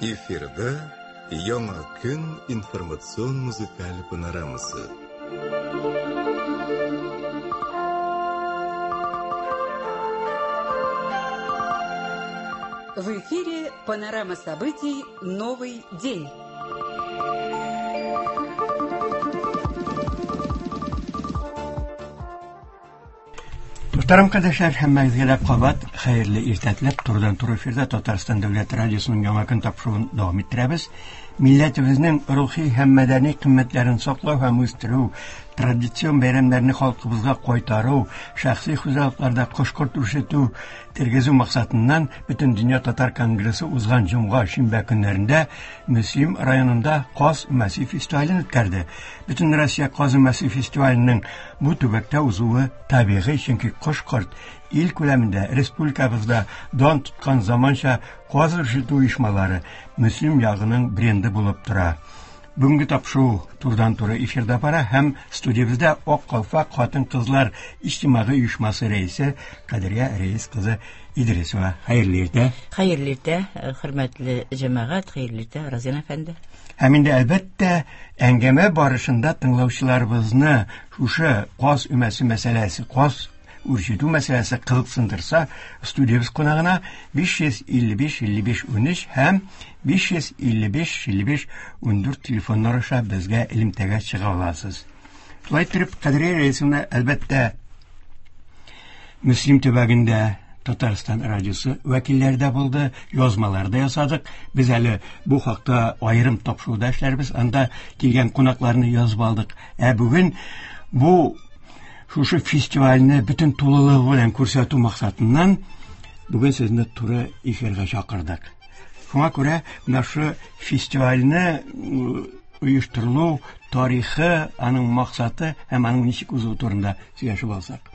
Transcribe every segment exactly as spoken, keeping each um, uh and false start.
Эфирда Яңа көн информацион музыкаль панорамасы. В эфире панорама событий «Новый день». Мөхтәрәм кардәшләр, һәммәгезгә дә кабат хәерле иртә теләп, турыдан-туры эфирда Татарстан Дәүләт радиосының Яңа көн тапшыруын дәвам иттерәбез. Милләтебезнең рухи һәм мәдәни кыйммәтләрен саклау һәм үстерү, традицион бәйрәмнәрне халкыбызга кайтару, шәхси хуҗалыкларда кош-корт үрчетү, тергезү максатыннан Бөтендөнья татар конгрессы узган җомга, шимбә көннәрендә Мөслим районында Каз өмәсе фестивален үткәрде. Бөтен Россия Каз өмәсе фестиваленең бу төбәктә узуы табигый, чөнки кош-корт ил күләмендә республикабызда дан тоткан заманча каз үрчетү оешмалары Мөслим ягының бренды булып тора. Бүгенге тапшыру турыдан-туры эфирда бара һәм студиябездә Ак калфак хатын-кызлар иҗтимагый оешмасы рәисе Кадрия Рәис кызы Идрисова. Хәерле иртә. Хәерле иртә, хөрмәтле җәмәгать, хәерле иртә, Разин әфәнде. Һәм инде әлбәттә әңгәмә барышында тыңлаучыларыбызны шушы каз өмәсе мәсьәләсе, каз үрчетү мәсьәләсе кызыксындырса, студиябез кунагына биш йөз илле биш илле биш унөч һәм биш йөз илле биш илле биш ундүрт телефоннар аша безгә элемтәгә чыга аласыз. Шулай итеп, Кадрия Рәисовна, әлбәттә, Мөслим төбәгендә Татарстан радиосы вәкилләре дә булды, язмалар да ясадык. Без әле бу хакта аерым тапшыруда эшләрбез, анда килгән кунакларны язып алдык. Ә бүген бу шушы фестивальне бөтен тулылыгы белән күрсәтү максатыннан бүген сезне туры эфирга чакырдык. Шуңа күрә менә шу фестивальне оештырылу тарихы, аның максаты һәм аның ничек узуы турында сөйләшеп алсак.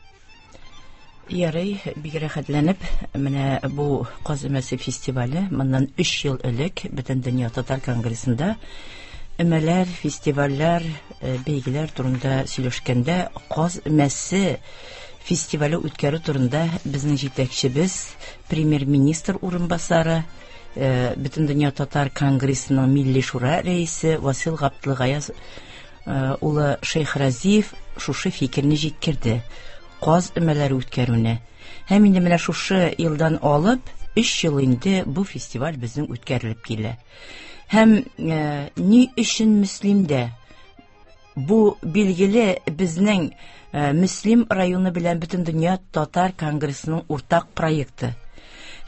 Ярый, бик рәхәтләнеп, менә бу Каз өмәсе фестивале моннан өч ел элек Бөтендөнья татар конгрессында өмәләр, фестивальләр, бәйгеләр турында сөйләшкәндә Каз өмәсе фестивале үткәрү турында безнең җитәкчебез, премьер-министр урынбасары, Бөтендөнья татар конгрессының Милли шура рәисе Васил Габделгаяз улы Шәйхразиев шушы фикерне җиткерде. Каз өмәләре үткәрүне. Һәм инде менә шушы елдан алып өч ел инде бу фестиваль безнең үткәрелеп килә. Һәм, э, ни өчен Мөслимдә? Бу билгеле безнең, э, Мөслим районы белән Бөтендөнья татар конгрессының уртак проекты.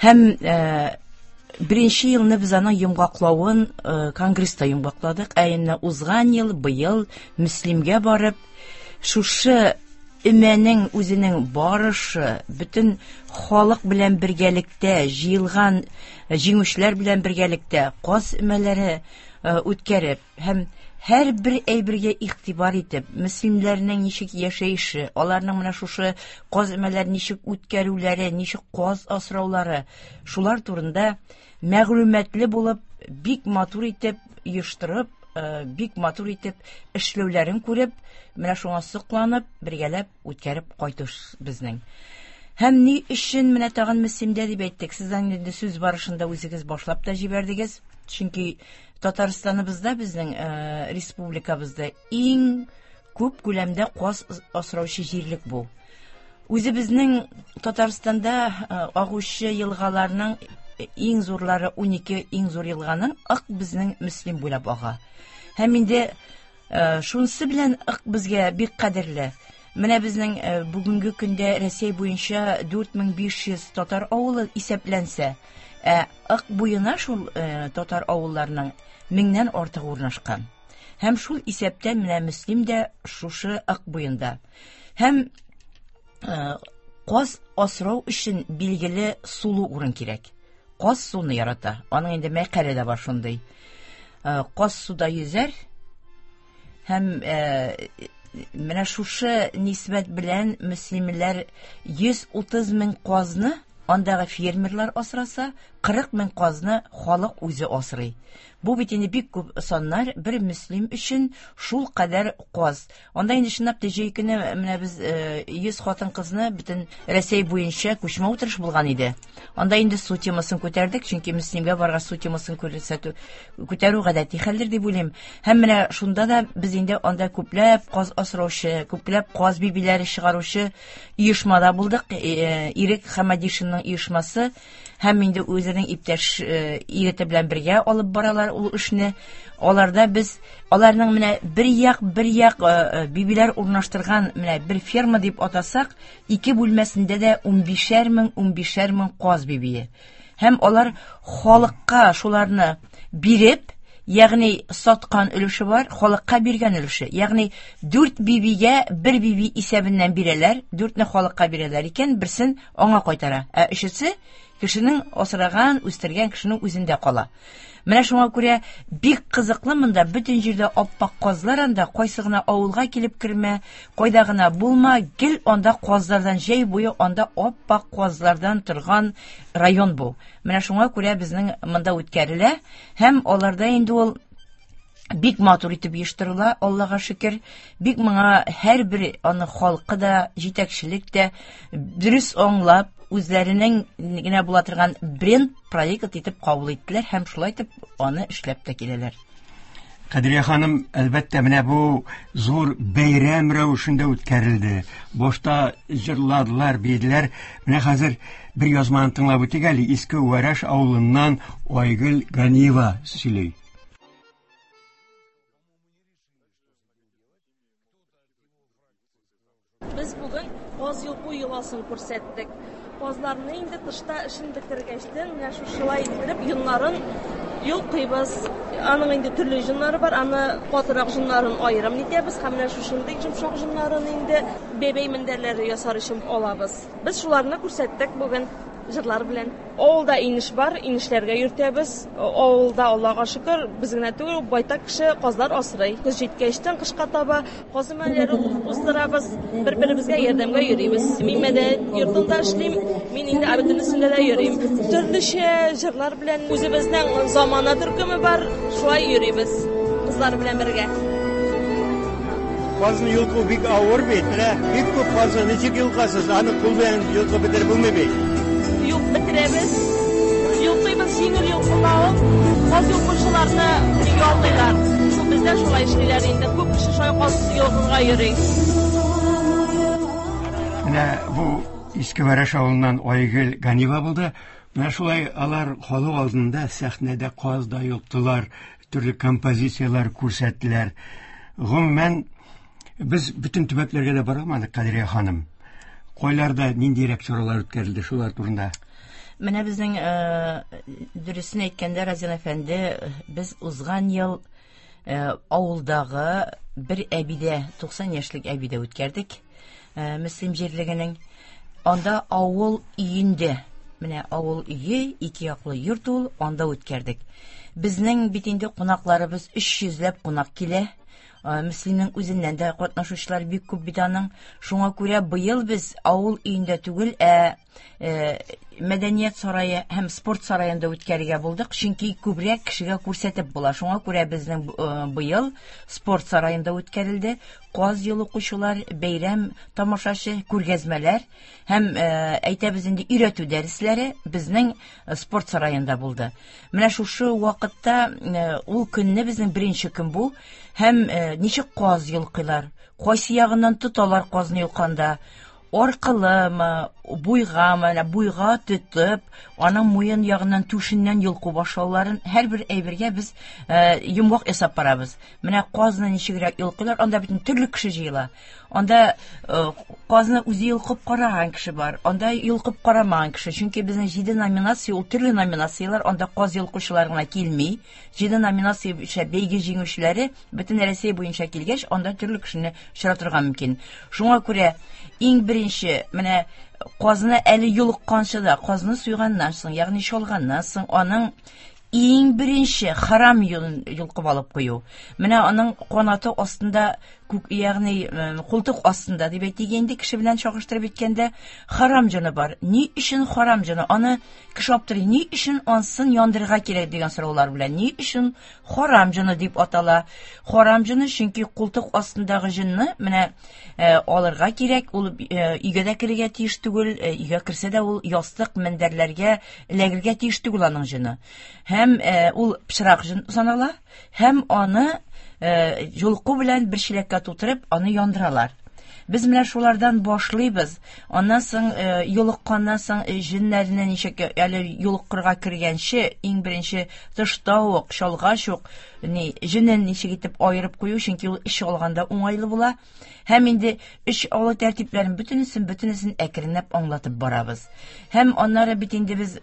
Һәм, э, беренче елны без аның йомгаклавын, э, конгресста йомгакладык. Ә инде узган ел, быел Мөслимгә барып, шушы өмәнең үзенең барышы, бөтен халык белән бергәлектә, җыелган җиңүчеләр белән бергәлектә каз өмәләре, э, үткәреп һәм һәрбер әйбергә игътибар итеп, мөслимнәрнең ничек яшәеше, аларның менә шушы каз өмәләрен ничек үткәрүләре, ничек каз асраулары, шулар турында мәгълүматлы булып, бик матур итеп оештырып, э, бик матур итеп эшләүләрен күреп, менә шуңа сокланып, бергәләп үткәреп кайтыш безнең. Һәм ни өчен менә тагын Мөслимдә дип әйттек? Сездән инде сүз барышында үзегез башлап та җибәрдегез. Чөнки Татарстаныбызда безнең, э, республикабызда иң күп күләмдә каз асраучы җирлек бу. Үзебезнең Татарстанда, э, агучы елгаларның иң зурлары унике иң зур елганың Ык безнең Мөслим буйлап ага. Һәм инде, э, шунысы белән Ык безгә бик кадерле. Менә безнең, э, бүгенге көндә Рәсәй буенча дүрт мең биш йөз татар авылы исәпләнсә, ә Ык буена шул, э, татар авылларының меңнән артыгы урнашкан. Һәм шул исәптән менә Мөслим дә шушы Ык буенда. Һәм, э, каз асрау өчен билгеле сулы урын кирәк. Каз суны ярата. Аның инде мәкале дә бар шундый. Э, каз суда йөзәр һәм, э, менә шушы нисбәт белән мөслимләр йөз утыз мең казны андагы фермерлар асраса, кырык мең казны халык үзе асрый. Бу бит инде бик күп саннар, бер Мөслим өчен шул кадәр каз. Анда инде чынлап та җәй көне менә без йөз хатын-кызны бөтен Рәсәй буенча күчмә утырыш булган иде. Анда инде су темасын күтәрдек, чөнки Мөслимгә барган су темасын күрсәтү, күтәрү гадәти хәлдер дип уйлыйм. Һәм менә шунда да без инде анда күпләп каз асраучы, күпләп каз бибиләре чыгаручы оешмада булдык. Ирек Хамадишинның оешмасы һәм инде үзенең иптәш егете белән бергә алып баралар ул эшне. Аларда без аларның менә бер як бер як бибиләр урнаштырган менә бер ферма дип атасак, ике бүлмәсендә дә унбишәр мең, унбишәр мең каз бибие. Һәм алар халыкка шуларны биреп, ягъни саткан өлеше бар, халыкка биргән өлеше. Ягъни дүрт бибигә бер биби исәбеннән бирәләр, дүртне халыкка бирәләр икән, берсен аңа кайтара. Ә өчесе кешенең асраган, үстергән кешенең үзендә кала. Менә шуңа күрә бик кызыклы монда бөтен җирдә аппак казлар анда, кайсы гына авылга килеп кермә, кайда гына булма, гел анда казлардан җәй буе анда аппак казлардан торган район бу. Менә шуңа күрә безнең монда үткәрелә һәм аларда инде ул бик матур итеп оештырыла, Аллага шөкер. Бик моңа һәрбер аны халкы да, җитәкчелек тә дөрес аңлап, үзләренең генә була торган бренд проект итеп кабул иттеләр һәм шулай итеп аны эшләп тә киләләр. Кадрия ханым, әлбәттә, менә бу зур бәйрәм рәвешендә үткәрелде. Башта җырладылар, биеделәр. Менә хәзер бер язманы тыңлап үтик әле. Иске Вәрәш авылыннан Айгөл Ганиева сөйли. Без бүген каз йолку йоласын күрсәттек. Казларны инде тышта эшен бетергәчтен, менә шушылай иттереп йоннарын йолкыйбыз. Аның инде төрле йоннары бар, аны катырак йоннарын аерым нитәбез һәм менә шушындый йомшак йоннарын инде бәбәй мендәрләре ясар өчен алабыз. Без шуларны күрсәттек бүген җырлар белән. Авылда инеш бар, инешләргә йөртәбез. Авылда Аллага шөкер, без генә түгел, байтак кеше казлар асрый. Көз җиткәчтен кышка таба каз өмәләре уздырабыз, бер-беребезгә ярдәмгә йөрибез. Мин мәдәният йортында эшлим, мин инде бөтенесендә дә йөрим. Төрлечә җырлар белән үзебезнең замана төркеме бар, шулай йөрибез кызлар белән бергә. Казны йолку бик авыр бит, менә бик күп казны ничек йолкасыз, аны кул белән йолкып бетереп булмый бит. Юк, бетерәбез. Йолкыйбыз, җиңел йолкыла ул. Каз йолкучыларны яллыйлар. Шул бездә шулай эшлиләр инде. Күп кеше шулай каз йолкырга йөри. Менә бу Иске Вәрәш авылыннан Айгөл Ганиева булды. Менә шулай алар халык алдында сәхнәдә каз да йолктылар, төрле композицияләр күрсәттеләр. Гомумән, без бөтен төбәкләргә дә бара алмадык, Кадрия ханым. Кайларда ниндирәк чаралар үткәрелде шулар турында? Менә безнең, дөресен әйткәндә, Разил әфәнде, без узган ел авылдагы бер әбидә, туксан яшьлек әбидә үткәрдек, Мөслим җирлегенең. Анда авыл өендә, менә авыл өе, ике яклы йорт ул, анда үткәрдек. Безнең бит инде кунакларыбыз өч йөзләп кунак килә. Мөслимнең үзеннән дә катнашучылар бик күп бит аның. Шуңа күрә быел без авыл өендә түгел, ә мәдәният сарае һәм спорт сараенда үткәрергә булдык, чөнки күбрәк кешегә күрсәтеп була. Шуңа күрә безнең быел спорт сараенда үткәрелде. Каз йолкучылар, бәйрәм тамашачы, күргәзмәләр һәм әйтәбез инде өйрәтү дәресләре безнең спорт сараенда булды. Менә шушы вакытта ул көнне безнең беренче көн бу һәм ничек каз йолкыйлар, кайсы ягыннан тоталар казны йолканда, аркылымы, буйгамы, менә буйга тотып, аның муен ягыннан түшеннән йолку башлауларын һәрбер әйбергә без йомгак ясап барабыз. Менә казны ничегрәк йолкыйлар, анда бөтен төрле кеше җыела. Анда казны үзе йолкып караган кеше бар, анда йолкып карамаган кеше. Чөнки безнең җиде номинация, ул төрле номинацияләр, анда каз йолкучылар гына килми. Җиде номинация буенча бәйге җиңүчеләре бөтен Рәсәй буенча килгәч, анда төрле кешене очратырга мөмкин. Шуңа күрә иң беренче менә казны әле йолыкканчы да, казны суйганнан соң, ягъни чалганнан соң, аның иң беренче харам юлын йолкып алып кую. Менә аның канаты астында Ягъни култык астында дип әйтик инде, кеше белән чагыштырып әйткәндә, харам җаны бар. Ни өчен харам җаны? Аны кеше аптырый. Ни өчен ансын яндырырга кирәк дигән сораулар белән. Ни өчен харам җаны дип атала? Харам җаны, чөнки култык астындагы җынны менә алырга кирәк, ул өйгә дә керергә тиеш түгел, өйгә керсә дә ул ястык, мендәрләргә эләгергә тиеш түгел аның җыны. Һәм ул пычрак җын санала, һәм аны йолку белән бер чиләккә тутырып, аны яндыралар. Без менә шулардан башлыйбыз. Аннан соң йолыкканнан соң җеннәрне ничек әле йолыккырга кергәнче, иң беренче тышта ук, чалгач ук, ни җенен ничек итеп аерып кую, чөнки ул эш алганда уңайлы була. Һәм инде эш алу тәртипләрен бөтенесен, бөтенесен әкренләп аңлатып барабыз. Һәм аннары бит инде без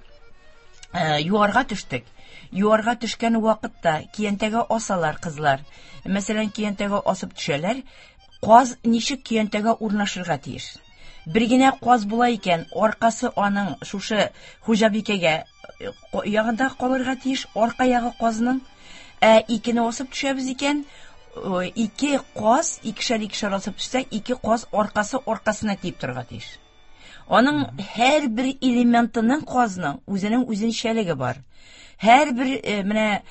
юарга төштек. Юарга төшкән вакытта киянтәгә асалар кызлар. Мәсәлән, киянтәгә асып төшәләр. Каз ничек киянтәгә урнашырга тиеш? Бер генә каз була икән, аркасы аның шушы хуҗабикәгә ягында калырга тиеш, арка ягы казның. Ә икене асып төшәбез икән, ике каз, икешәр икешәр асып төшсәк, ике каз аркасы аркасына тиеп торырга тиеш. Аның һәр бер элементының казның үзенең үзенчәлеге бар. Һәр бер менә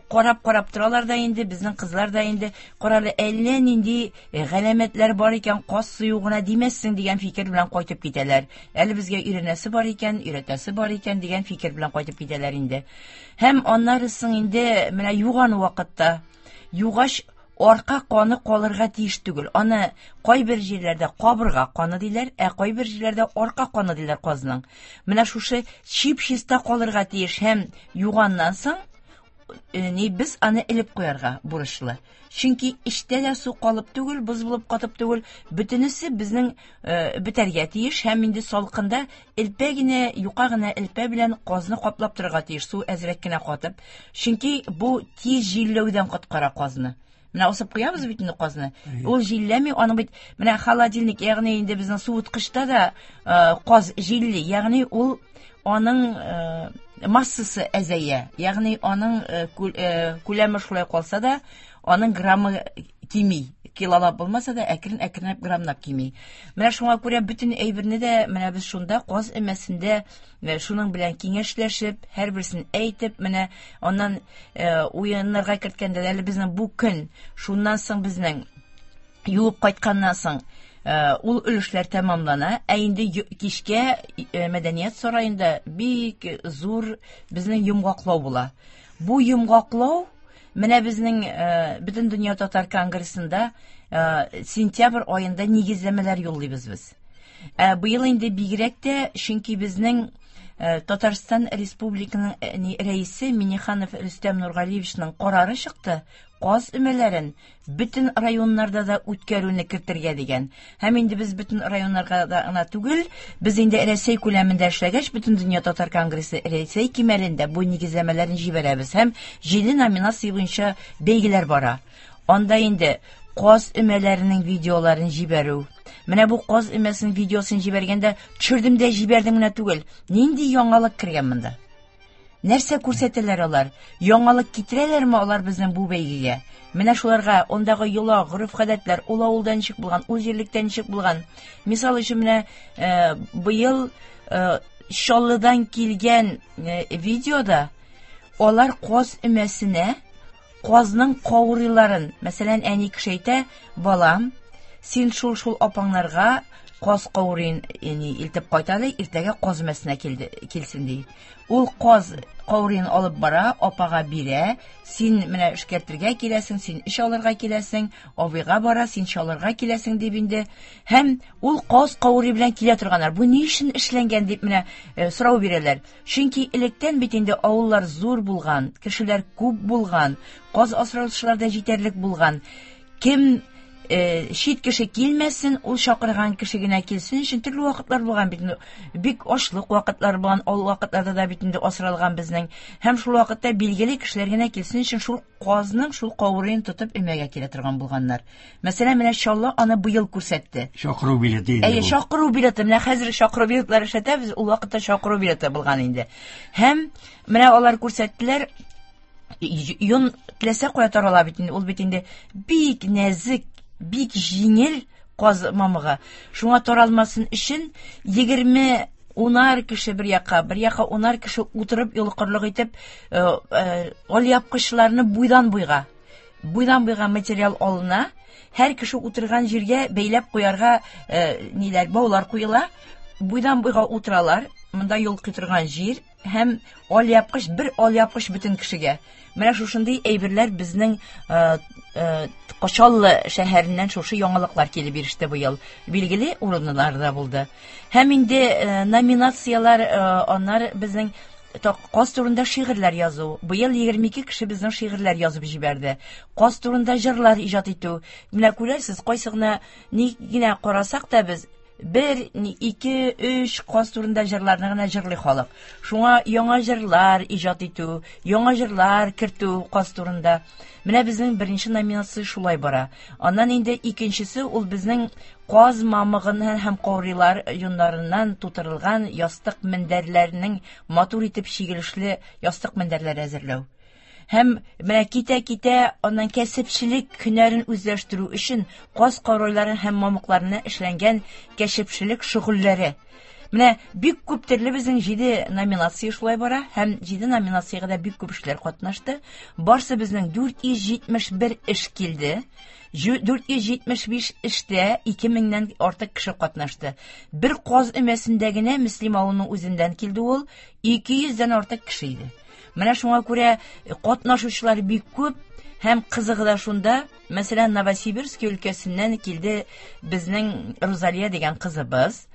карап-карап торалар да инде, безнең кызлар да инде, каралы әллә нинди галәмәтләр бар икән, каз сую гына димәссең дигән фикер белән кайтып китәләр. Әле безгә өйрәнәсе бар икән, өйрәтәсе бар икән дигән фикер белән кайтып китәләр инде. Һәм аннары соң инде менә юган вакытта, югач арка каны калырга тиеш түгел. Аны кайбер җирләрдә кабырга каны диләр, ә кайбер җирләрдә арка каны диләр казның. Менә шушы чип-чиста калырга тиеш һәм юганнан соң ни без аны элеп куярга бурычлы. Чөнки эчтә дә су калып түгел, боз булып катып түгел, бөтенесе безнең бетәргә тиеш һәм инде салкында элпә генә, юка гына элпә белән казны каплап торырга тиеш, су әзрәк кенә катып. Чөнки бу тиз җилләүдән коткара казны. Менә асып куябыз бит инде казны. Ул җилләми, аның бит менә холодильник, ягъни инде безнең суыткычта да каз җилли, ягъни ул аның массасы әзәя, ягъни аның күләме шулай калса да, аның граммы кими. Килолап булмаса да, әкрен-әкренләп граммлап кими. Менә шуңа күрә бөтен әйберне дә менә без шунда каз өмәсендә шуның белән киңәшләшеп, һәрберсен әйтеп, менә аннан уеннарга керткәндә әле безнең бу көн, шуннан соң безнең юып кайтканнан соң ул өлешләр тәмамлана. Ә инде кичкә мәдәният сараенда бик зур безнең йомгаклау була. Бу йомгаклау менә безнең бөтен дөнья татар конгрессында сентябрь аенда нигезләмәләр юллыйбыз без. Ә быел инде бигрәк тә, чөнки безнең Татарстан Республикасының рәисе Минниханов Рөстәм Нургалиевичның карары чыкты, каз өмәләрен бөтен районнарда да үткәрүне кертергә дигән. Һәм инде без бөтен районнарга да гына түгел, без инде Рәсәй күләмендә эшләгәч, бөтен дөнья татар конгрессы Рәсәй кимәлендә бу нигезләмәләрне җибәрәбез һәм җиде номинация буенча бәйгеләр бара. Анда инде каз өмәләренең видеоларын җибәрү. Менә бу каз өмәсенең видеосын җибәргәндә төшердем дә җибәрдем генә түгел. Нинди яңалык кергән монда? Нәрсә күрсәтәләр алар? Яңалык китерәләрме алар безнең бу бәйгегә? Менә шуларга ондагы йола, гореф-гадәтләр, ул авылда ничек булган, ул җирлектә ничек булган. Мисал өчен менә быел Чаллыдан килгән видеода алар каз өмәсенә казның каурыйларын, мәсәлән, әни кеше әйтә, балам, син шул-шул апаңнарга каз каурыен илтеп кайт әле, иртәгә каз өмәсенә килсен ди. Ул каз каурыен алып бара, апага бирә, син менә эшкәртергә киләсең, син эш алырга киләсең, абыйга бара, син чалырга киләсең дип инде. Һәм ул каз каурый белән килә торганнар. Бу ни өчен эшләнгән дип менә сорау бирәләр. Чөнки электән бит инде авыллар зур булган, кешеләр күп булган, каз асраучылар да җитәрлек булган. Кем чит кеше килмәсен, ул чакырган кеше генә килсен өчен төрле вакытлар булган бит инде. Бик ачлык вакытлар булган, ул вакытларда да бит инде асралган безнең. Һәм шул вакытта билгеле кешеләр генә килсен өчен шул казның шул каурыен тотып өмәгә килә торган булганнар. Мәсәлән, менә Чаллы аны быел күрсәтте. Чакыру билеты инде. Әйе, чакыру билеты. Менә хәзер чакыру билетлары эшләтәбез, ул вакытта чакыру билеты булган инде. Һәм менә алар күрсәттеләр. Йон теләсә кая тарала бит инде, ул бит инде бик нәзек, Бик җиңел каз мамыгы. Шуңа таралмасын өчен егерме унар кеше бер якка, бер якка унар кеше утырып йолкырлык итеп, алъяпкычларны буйдан буйга, буйдан буйга материал алына. Һәр кеше утырган җиргә бәйләп куярга ниләр, баулар куела. Буйдан буйга утыралар. Монда йолкый торган җир һәм алъяпкыч, бер алъяпкыч бөтен кешегә. Менә шушындый әйберләр безнең Кочаллы шәһәреннән шушы яңалыклар килеп иреште быел. Билгеле урыннарда булды. Һәм инде номинацияләр, аннар безнең каз турында шигырьләр язу. Быел егерме ике кеше безнең шигырьләр язып җибәрде. Каз турында җырлар иҗат итү. Менә күрәсез, кайсы гына ни генә карасак та без бер, ике, өч каз турында җырларны гына җырлый халык. Шуңа яңа җырлар иҗат итү, яңа җырлар кертү каз турында. Менә безнең беренче номинация шулай бара. Аннан инде икенчесе ул безнең каз мамыгыннан һәм каурыйлар йоннарыннан тутырылган ястык мендәрләренең матур итеп чигелешле ястык мендәрләр әзерләү. Һәм менә китә-китә аннан кәсепчелек һөнәрен үзләштерү өчен каз каурыйлары һәм мамыкларына эшләнгән кәсепчелек шөгыльләре. Менә бик күп төрле безнең җиде номинация шулай бара һәм җиде номинациягә дә бик күп эшләр катнашты. Барсы безнең дүрт йөз җитмеш бер эш килде. Дүрт йөз җитмеш биш эштә ике меңнән артык кеше катнашты. Бер каз өмәсендә генә Мөслим авылының үзеннән килде ул, ике йөздән артык кеше иде. Менә шуңа күрә катнашучылар бик күп һәм кызыгы да шунда. Мәсәлән, Новосибирск өлкәсеннән килде безнең Розалия дигән кызыбыз.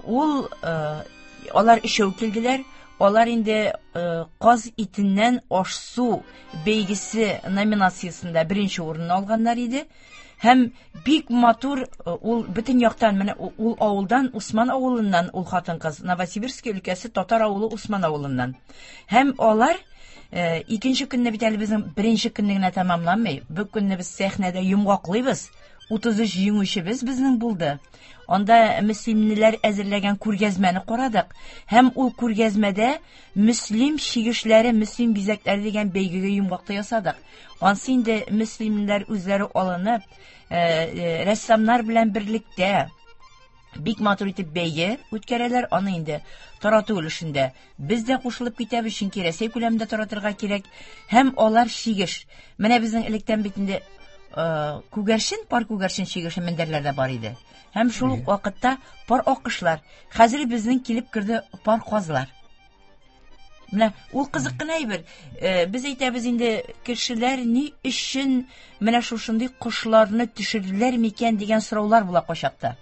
Ул, алар өчәү килделәр. Алар инде каз итеннән аш-су бәйгесе номинациясендә беренче урынны алганнар иде. Һәм бик матур ул бөтен яктан, менә ул авылдан, Усман авылыннан ул хатын-кыз, Новосибирск өлкәсе татар авылы Усман авылыннан. Һәм алар икенче көнне бит әле безнең беренче көнне генә тәмамланмый. Бу көнне без сәхнәдә йомгаклыйбыз. Утыз өч җиңүчебез безнең булды. Анда мөслимлеләр әзерләгән күргәзмәне карадык. Һәм ул күргәзмәдә мөслим чигешләре, мөслим бизәкләре дигән бәйгегә йомгакта ясадык. Ансы инде мөслимлеләр үзләре алынып, рәссамнар белән берлектә бик матур итеп бәйге үткәрәләр. Аны инде тарату өлешендә без дә кушылып китәбез, чөнки Рәсәй күләмендә таратырга кирәк. Һәм алар чигеш. Менә безнең электән бит инде күгәрчен, пар күгәрчен чигеше мендәрләрдә бар иде. Һәм шул ук вакытта пар аккошлар. Хәзер безнең килеп керде пар казлар. Менә ул кызык кына әйбер. Без әйтәбез инде, кешеләр ни өчен менә шушындый кошларны төшерделәр микән дигән сораулар була кайчакта.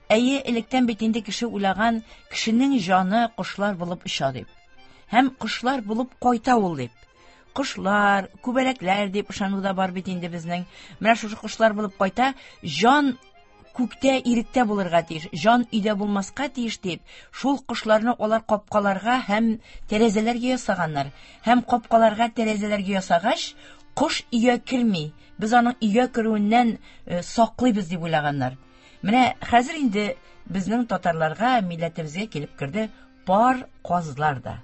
Әйе, электән бит инде кеше уйлаган, кешенең җаны кошлар булып оча дип. Һәм кошлар булып кайта ул дип. Кошлар, күбәләкләр дип ышану да бар бит инде безнең. Менә шушы кошлар булып кайта, җан күктә, иректә булырга тиеш, җан өйдә булмаска тиеш дип, шул кошларны алар капкаларга һәм тәрәзәләргә ясаганнар. Һәм капкаларга, тәрәзәләргә ясагач, кош өйгә керми. Без аның өйгә керүеннән саклыйбыз дип уйлаганнар. Менә хәзер инде безнең татарларга, милләтебезгә килеп керде пар казлар да.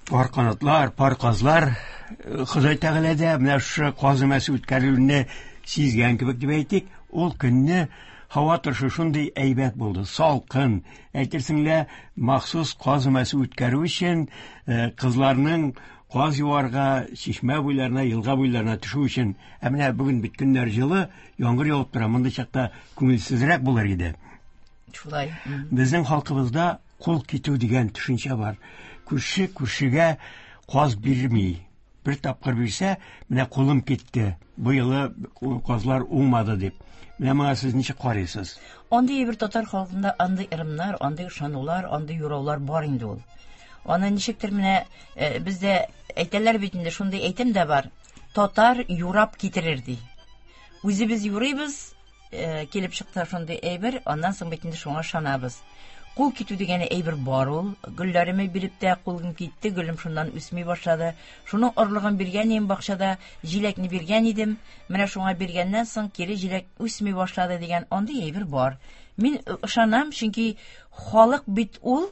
Пар канатлар, пар казлар. Ходай Тәгалә дә менә шушы каз өмәсе үткәрелүне сизгән кебек дип әйтик. Ул көнне һава торышы шундый әйбәт булды, салкын. Әйтерсең лә, махсус каз өмәсе үткәрү өчен, кызларның каз юарга, чишмә буйларына, елга буйларына төшү өчен. Ә менә бүген бит көннәр җылы, яңгыр явып тора, мондый чакта күңелсезрәк булыр иде. Шулай. Безнең халкыбызда кул китү дигән төшенчә бар. Күрше күршегә каз бирми. Бер тапкыр бирсә, менә кулым китте. Бу елы казлар уңмады дип. Менә моңа сез ничек карыйсыз? Андый бер татар халкында андый ырымнар, андый ышанулар, андый юраулар бар инде ул. Аны ничектер менә бездә әйтәләр бит инде, шундый әйтем дә бар. Татар юрап китерер ди. Үзебез юрыйбыз, килеп чыкты шундый әйбер, аннан соң бит инде шуңа ышанабыз. Кул китү дигән әйбер бар ул. Гөлләреме биреп тә кулым китте, гөлем шуннан үсми башлады. Шуның орлыгын биргән идем бакчада, җиләкне биргән идем. Менә шуңа биргәннән соң кире җиләк үсми башлады дигән андый әйбер бар. Мин ышанам, чөнки халык бит ул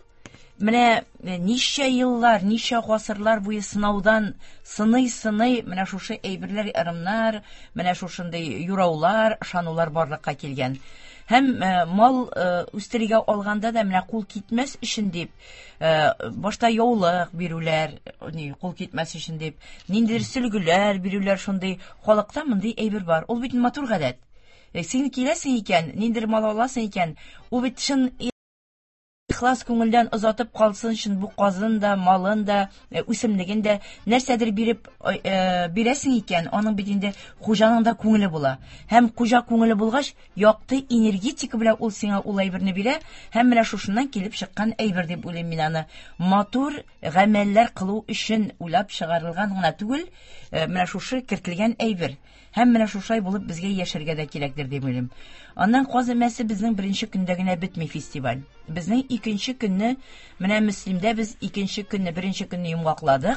Менә ничә еллар, ничә гасырлар буе сынаудан сыный-сыный менә шушы әйберләр, ырымнар, менә шушындый юраулар, ышанулар барлыкка килгән. Һәм мал үстерергә алганда да менә кул китмәс өчен дип, башта яулык бирүләр, ни, кул китмәс өчен дип, ниндидер сөлгеләр бирүләр, шундый халыкта мондый әйбер бар. Ул бит матур гадәт. Син киләсең икән, ниндидер мал аласың икән, ул бит чын ихлас күңелдән озатып калсын өчен бу казын да, малын да, үсемлеген дә нәрсәдер биреп бирәсең икән, аның бит инде хуҗаның да күңеле була. Һәм хуҗа күңеле булгач, якты энергетика белән ул сиңа ул әйберне бирә, һәм менә шушыннан килеп чыккан әйбер дип уйлыйм мин аны. Матур гамәлләр кылу өчен уйлап чыгарылган гына түгел, менә шушы кертелгән әйбер. Һәм менә шушай булып безгә яшәргә дә кирәктер дип уйлыйм. Аннан каз өмәсе безнең беренче көндә генә бетми фестиваль. Безнең икенче көнне, менә Мөслимдә без икенче көнне, беренче көнне йомгаклады.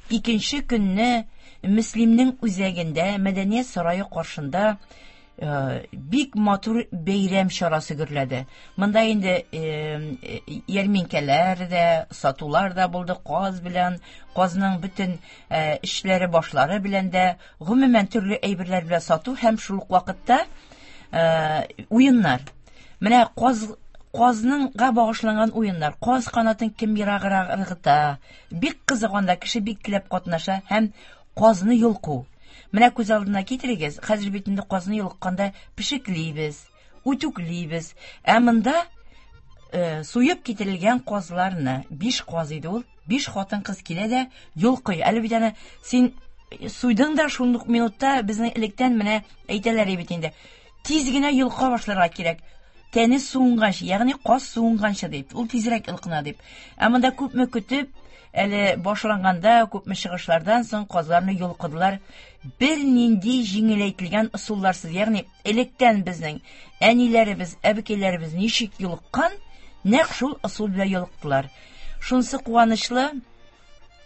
Икенче көнне Мөслимнең үзәгендә, Мәдәният сарае каршында бик матур бәйрәм чарасы гөрләде. Монда инде ярминкәләр дә, сатулар да булды, каз белән, казның бөтен эшләре, башлары белән дә, гомумән төрле әйберләр белән сату һәм шул ук вакытта уеннар. Менә каз казныңга багышланган уеннар, каз канатын кем ераграк ыргыта. Бик кызык анда, кеше бик теләп катнаша һәм казны йолку. Менә күз алдына китерегез, хәзер бит инде казны йолыкканда пешеклибез, үтүклибез. Ә монда э, суеп китерелгән казларны, биш каз иде ул, биш хатын-кыз килә дә йолкый. Әле бит аны син суйдың да шундук минутта безнең электән менә әйтәләр бит инде. Тиз генә йолка башларга кирәк. Тәне суынганчы, ягъни каз суынганчы дип, ул тизрәк йолкына дип. Ә монда күпме көтеп, әле башланганда күпме чыгышлардан соң казларны йолкыдылар. Бер нинди җиңеләйтелгән ысулларсыз, ягъни электән безнең әниләребез, әбекәйләребез ничек йолыккан, нәкъ шул ысул белән йолыктылар. Шунсы куанычлы,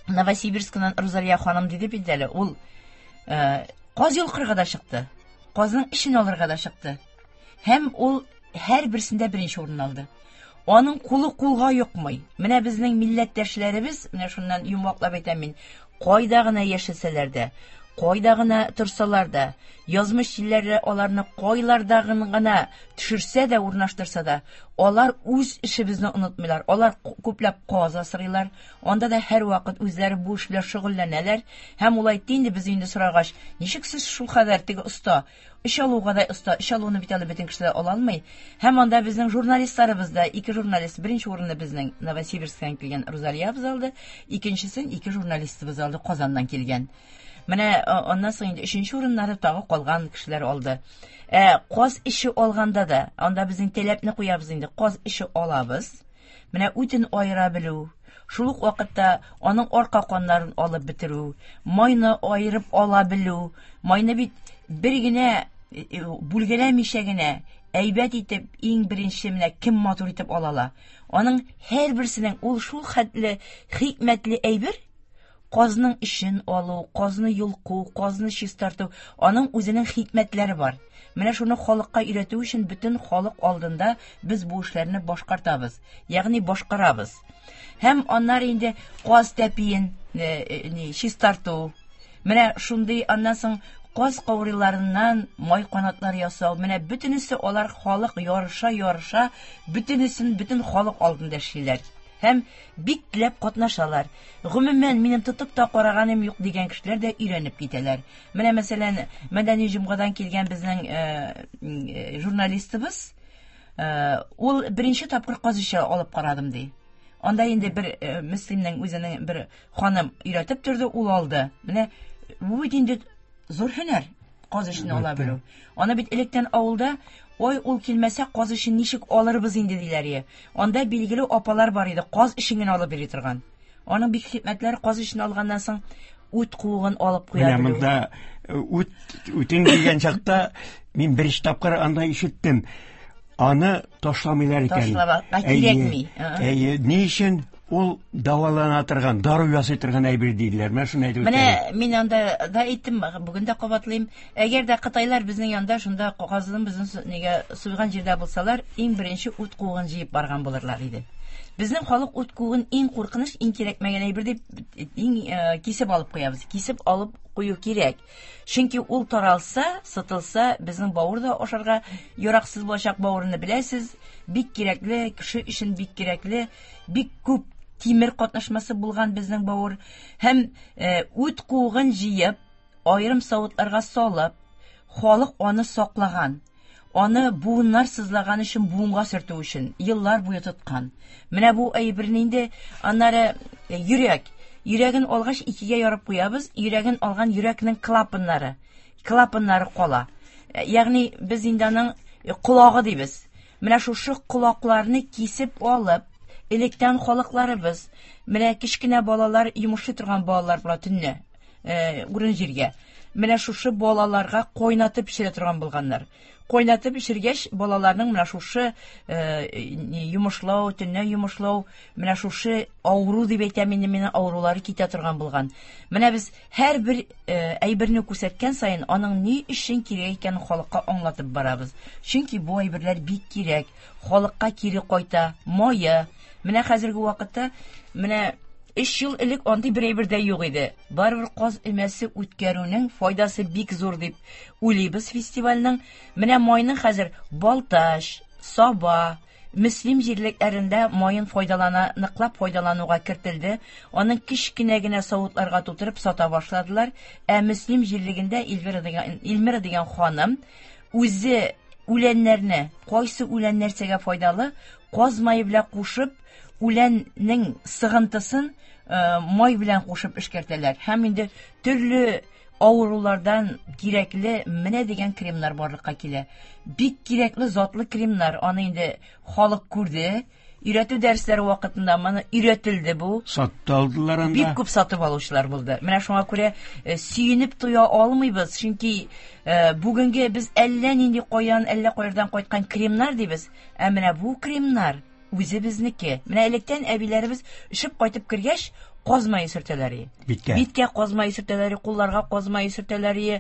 Новосибирскнан Рузалия ханым диде бит әле, ул э, каз йолкырга да чыкты, казның эчен алырга да чыкты. Һәм ул һәр берсендә беренче урын алды. Аның кулы кулга йокмый. Менә безнең милләттәшләребез, менә шуннан йомгаклап әйтәм мин, кайда гына яшәсәләр дә, кайда гына торсалар да, язмыш җилләре аларны кайларда гына төшерсә дә, урнаштырса да, алар үз эшебезне онытмыйлар. Алар күпләп каз асрыйлар. Анда да һәр вакыт үзләре бу эш белән шөгыльләнәләр. Һәм ул әйтте инде, без инде сорагач, ничек сез шул кадәр теге оста, эш алуга да оста, эш алуны бит әле бөтен кешеләр ала алмый. Һәм анда безнең журналистларыбыз да, ике журналист, беренче урынны безнең Новосибирсктан килгән Рузалиябыз алды, икенчесен ике журналистыбыз алды, Казаннан килгән. Менә аннан соң инде өченче урыннары тагы калган кешеләр алды. Ә каз эше алганда да, анда безнең таләпне куябыз инде, каз эше алабыз. Менә үтен аера белү, шул ук вакытта аның арка каннарын алып бетерү, майны аерып ала белү. Майны бит бер генә бүлгәләмичә генә әйбәт итеп, иң беренче менә кем матур итеп ала ала. Аның һәрберсенең ул шул хәтле хикмәтле әйбер. Казның эшен алу, казны йолку, казны чистарту, аның үзенең хикмәтләре бар. Менә шуны халыкка өйрәтү өчен бөтен халык алдында без бу эшләрне башкартабыз, ягъни башкарабыз. Һәм аннары инде каз тәпиен чистарту. Менә шундый, аннан соң каз каурыйларыннан май канатлар ясау. Менә бөтенесе алар халык ярыша-ярыша, бөтенесен бөтен халык алдында эшлиләр. Һәм бик теләп катнашалар. Гомумән, минем тотып та караганым юк дигән кешеләр дә өйрәнеп китәләр. Менә мәсәлән, Мәдәни җомгадан килгән безнең э, журналистыбыз, э, ул беренче тапкыр каз эше алып карадым ди. Анда инде бер э, Мөслимнең үзенең бер ханым өйрәтеп торды, ул алды. Менә бу бит инде зур һөнәр, каз эшен ала белү. Аны бит электән авылда, ой, ул килмәсә, каз эшен ничек алырбыз инде диләр. Анда билгеле апалар бар иде, каз эшен генә алып бери торган. Аның бик хикмәтләре, каз эшен алганнан соң үт куыгын алып куя белү. Менә монда үт үтен дигән чакта мин беренче тапкыр анда ишеттем. Аны ташламыйлар икән. Ташлап кирәкми. Әйе, ни өчен? Ул дәвалана торган, дару ясый торган әйбер диделәр. Менә шуны әйтеп Менә мин анда да әйттем, бүген дә кабатлыйм. Әгәр дә кытайлар безнең янда шунда казының безнең нигә суйган җирдә булсалар, иң беренче ут куыгын җыеп барган булырлар иде. Безнең халык ут куыгын иң куркыныч, иң кирәкмәгән әйбер дип иң кисеп алып куябыз. Кисеп алып кую кирәк. Чөнки ул таралса, сытылса, безнең бавыр да ашарга яраксыз булачак. Бавырны беләсез, бик кирәкле, кеше өчен бик кирәкле, бик күп тимер катнашмасы булган безнең бавыр. Һәм үт куыгын җыеп, аерым савытларга салып, халык аны саклаган. Аны буыннар сызлаган өчен, буынга сөртү өчен еллар буе тоткан. Менә бу әйберне инде аннары йөрәк. Йөрәген алгач икегә ярып куябыз. Йөрәген алган йөрәкнең клапаннары, клапаннары кала. Ягъни без инде аның колагы дибез. Менә шушы колакларны кисеп алып, электән халыкларыбыз, менә кечкенә балалар, йомышлый торган балалар була төнлә, урын җиргә. Менә шушы балаларга кайнатып пешерә торган булганнар. Кайнатып пешергәч, балаларның менә шушы йомышлау, төнлә йомышлау, менә шушы авыру дип әйтәм инде, менә авырулары китә торган булган. Менә без һәрбер әйберне күрсәткән саен аның ни өчен кирәк икәнен халыкка аңлатып барабыз. Чөнки бу әйберләр бик кирәк, халыкка кире кайта, мае. Менә хәзерге вакытта, менә өч ел элек андый бер әйбер дә юк иде. Барыбер каз өмәсе үткәрүнең файдасы бик зур дип уйлыйбыз фестивальнең. Менә майның хәзер Балтач, Саба, Мөслим җирлекләрендә майын файдалана, ныклап файдалануга кертелде. Аның кечкенә генә савытларга тутырып сата башладылар. Ә Мөслим җирлегендә Эльвира дигән, Эльмира дигән ханым үзе үләннәрне, кайсы үлән нәрсәгә файдалы, каз мае белән кушып, үләннең сыгынтысын май белән кушып эшкәртәләр. Һәм инде төрле авырулардан кирәкле менә дигән кремнар барлыкка килә. Бик кирәкле затлы кремнар. Аны инде халык күрде. Өйрәтү дәресләре вакытында моны өйрәтелде бу. Сатты алдылар анда. Бик күп сатып алучылар булды. Менә шуңа күрә сөенеп туя алмыйбыз. Чөнки бүгенге без әллә нинди каян, әллә кайдан кайткан кремнар дибез. Ә менә бу кремнар үзе безнеке. Менә электән әбиләребез өшеп кайтып кергәч, каз мае сөртәләр иде. Биткә. Биткә каз мае сөртәләр, кулларга каз мае сөртәләр иде.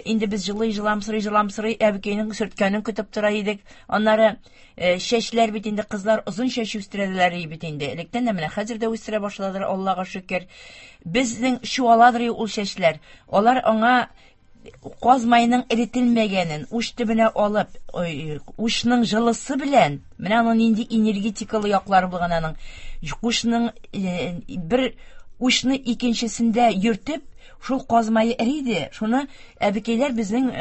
Инде без жылый жыламсырый жыламсырый әбекәйнең сөрткәнен көтеп тора идек. Аннары чәчләр бит инде, кызлар озын чәч үстерәләр иде бит инде. Электән дә менә хәзер дә үстерә башладылар, Аллага шөкер. Безнең чуаладыр ул чәчләр. Алар аңа каз майының эретелмәгәнен уч төбенә алып, учның җылысы белән, менә аның нинди энергетикалы яклары булган аның. Учның бер учны икенчесендә йөртеп, шул каз мае эриде. Шуны әбекәйләр безнең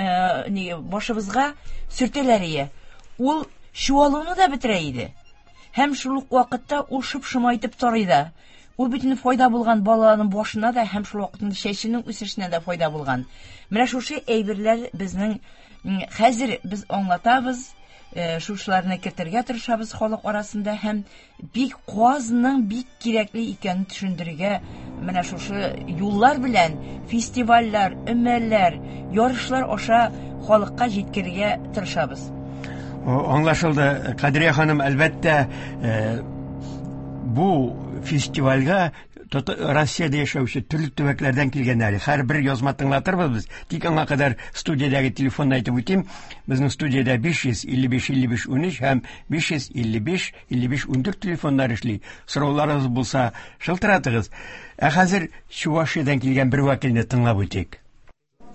башыбызга сөртәләр иде. Ул чуалуны да бетерә иде. Һәм шул ук вакытта ул шып-шыма итеп тарый да. Ул бөтен файда булган баланың башына да һәм шул вакытта чәченең үсешенә дә файда булган. Менә шушы әйберләр безнең хәзер без аңлатабыз, шушыларны кертергә тырышабыз халык арасында һәм бик казның бик кирәкле икәнен төшендерергә менә шушы юллар белән фестивальләр, өмәләр, ярышлар аша халыкка җиткерергә тырышабыз. Аңлашылды, Кадрия ханым, әлбәттә, бу фестивальгә Россиядә яшәүче төрле төбәкләрдән килгәннәр. Һәрбер язма тыңлатырбыз без. Тик аңа кадәр студиядәге телефонны әйтеп үтим. Безнең студиядә биш йөз илле биш илле биш унөч һәм биш йөз илле биш илле биш ундүрт телефоннар эшли. Сорауларыгыз булса, шылтыратыгыз. Ә хәзер Чувашиядән килгән бер вәкилне тыңлап үтик.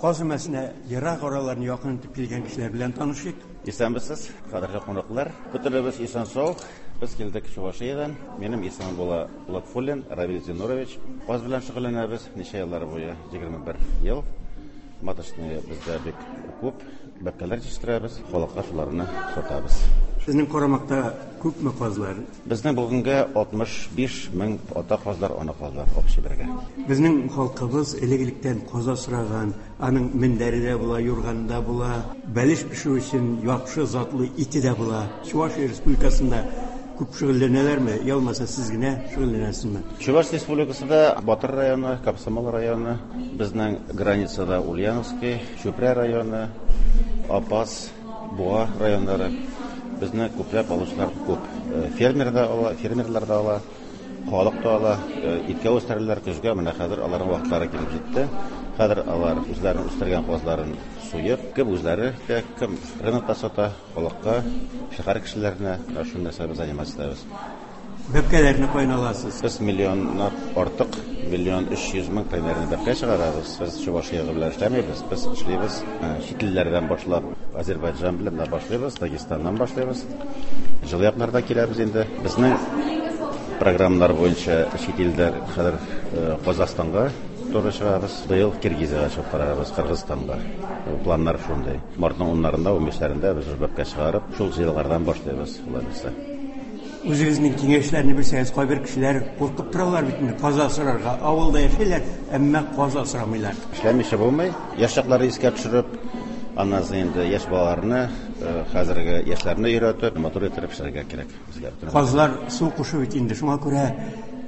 Каз өмәсенә ерак араларны якын итеп килгән кешеләр белән танышыйк. Исәнмесез, кадерле кунаклар. Бөтенебез исән-сау. Без килдек Чувашиядән. Минем исемем була Латфуллин Равил Зинурович. Каз белән шөгыльләнәбез ничә еллар буе, егерме бер ел. Маточный бездә бик күп, бәбкәләр җитештерәбез, халыкка шуларны сатабыз. Сезнең карамакта күпме казлар? Безнең бүгенгә алтмыш биш мең ата казлар, ана казлар общий бергә. Безнең халкыбыз элек-электән каз асраган, аның мендәре дә була, юрганы да була, бәлеш пешерү өчен яхшы затлы ите дә була. Чувашия Республикасында күп шөгыльләнәләрме, я булмаса сез генә шөгыльләнәсезме? Чуваш Республикасында Батыр районы, Комсомол районы, безнең границада Ульяновский, Чүпрә районы, Апас, Буа районнары. Безне күпләп алучылар күп. Фермер да ала, фермерлар да ала, Халык та ала, иткә үстерәләр, көзгә менә хәзер аларның вакытлары килеп җитте. Хәзер алар үзләренең үстергән казларын суеп, кем үзләре, кем рынокта сата, халыкка, шәһәр кешеләренә шул нәрсә белән заниматься итәбез. Бәбкәләрне каян аласыз? Без миллионнан артык, миллион өч йөз мең примерно бәбкә чыгарабыз. Без Чувашия белән эшләмибез, без эшлибез чит илләрдән башлап, Азербайджан белән дә башлыйбыз, Дагестаннан башлыйбыз. Җылы якларда киләбез инде. Безнең программалар буенча чит илдә хәзер Казахстанга туры чыгабыз. Быел Киргизиягә чыгып карарбыз, Кыргызстанга. Планнар шундый. Мартның уннарында, унбишләрендә без бәбкә чыгарып, шул җыелгардан башлыйбыз, алай булса. Үзегезнең киңәшләрне бирсәгез, кайбер кешеләр куркып торалар бит инде каз асрарга. Авылда яшиләр, әмма каз асрамыйлар. Эшләмичә булмый. Яшь чакларны искә төшереп, аннан соң инде яшь балаларны, хәзерге яшьләрне өйрәтеп, матур итеп эшләргә кирәк безгә. Казлар су кушу бит инде, шуңа күрә